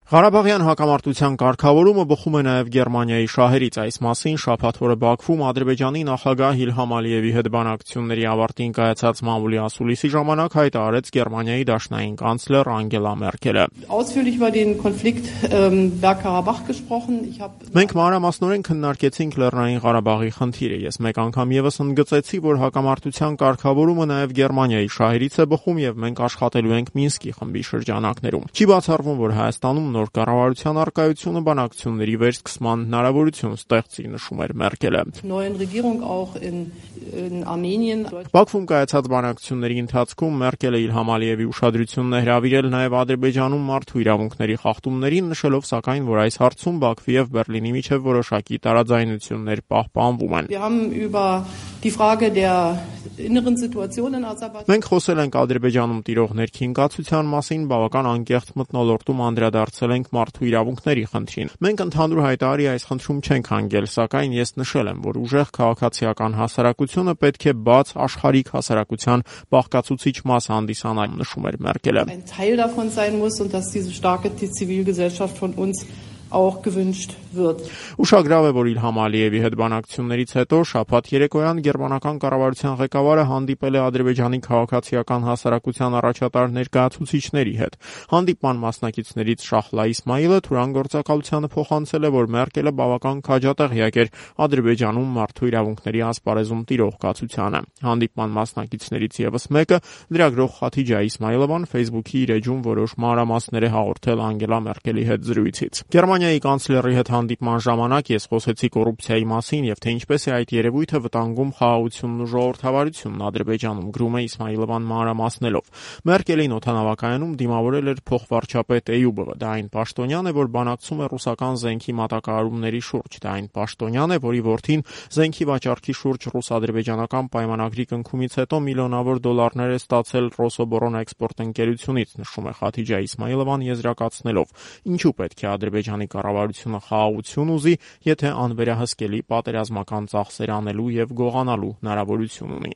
Ղարաբաղյան հակամարտության կարգավորումը բխում է նաև Գերմանիայի շահերից։ Այս մասին շաբաթ օրը Բաքվում Ադրբեջանի նախագահ Իլհամ Ալիևի հետ բանակցությունների ավարտին կայացած մամուլի ասուլիսի ժամանակ հայտարարեց Գերմանիայի դաշնային կանցլեր Անգելա Մերքելը։ Մենք մանրամասնորեն քննարկեցինք Լեռնային Ղարաբաղի խնդիրը։ Ես մեկ անգամ եւս ընդգծեցի, որ հակամարտության կարգավորումը նաև Գերմանիայի շահերից է բխում եւ մենք աշխատելու ենք Մինսկի խմբի շրջանակներում։ Չի բացառվում, որ Հայաստանում նոր կառավարության առկայությունը բանակցությունների վերսկսման հնարավորություն ստեղծի, նշում էր Մերքելը։ Բաքվում կայացած բանակցությունների ընթացքում Մերքելը Իլհամ Ալիևի ուշադրությունն է հրավիրել նաև Ադրբեջանում մարդու իրավունքների խախտումներին, նշելով սակայն, որ այս հարցում Բաքվի եւ Բեռլինի միջև որոշակի տարաձայնություններ պահպանվում են։ Մենք խոսել ենք Ադրբեջանում տիրող ներքին կացության մասին, բավական անկեղծ մթնոլորտում անդրադարձել ենք մարդու իրավունքների խնդրին։ Մենք ընդհանուր հայտարարի այս խնդրում չենք հանգել, սակայն ես նշել եմ, որ ուժեղ քաղաքացիական հասարակությունը պետք է բաց աշխարհիկ հասարակության բաղկացուցիչ մաս հանդիսանա, նշում էր Մերքելը։ Ուշագրավ է, որ Իլհամ Ալիևի հետ բանակցություններից հետո շաբաթ երեկոյան գերմանական կառավարության ղեկավարը հանդիպել է Ադրբեջանի քաղաքացիական հասարակության առաջատար ներկայացուցիչների հետ։ Հանդիպման մասնակիցներից Շահլա Իսմայիլը թուրանգործակալությանը փոխանցել է, որ Մերքելը բավական քաջատեղյակ էր Ադրբեջանում մարդու իրավունքների ասպարեզում տիրող կացությանը։ Հանդիպման մասնակիցներից եւս մեկը, լրագրող Խաթիջա Իսմայիլովան, Facebook-ի իր էջում որոշ մանրամասներ է հաղորդել Անգելա Մերքելի հետ զրույցից։ Գերմանիայի կանցլերի հետ հանդիպման ժամանակ ես խոսեցի կոռուպցիայի մասին եւ թե ինչպես է այդ երևույթը վտանգում խաղաղությունն ու ժողովրդավարությունն Ադրբեջանում, գրում է Իսմայիլովան մանրամասնելով։ Մերքելին օդանավակայանում դիմավորել էր փոխվարչապետ Էյուբովը։ Դա այն պաշտոնյան է, որ բանակցում է ռուսական զենքի մատակարարումների շուրջ։ Դա այն պաշտոնյան է, որի որդին զենքի վաճառքի շուրջ ռուս-ադրբեջանական պայմանագրի կնքումից հետո միլիոնավոր դոլարներ է ստացել Ռոսոբորոն էքսպորտ ընկերությունից, նշում է Խաթիջա Իսմայիլովան եզրակացնելով, ինչու պետք է Ադրբեջանի կառավարությունը խաղաղություն ուզի, եթե անվերահսկելի պատերազմական ծախսեր անելու եւ գողանալու հնարավորություն ունի։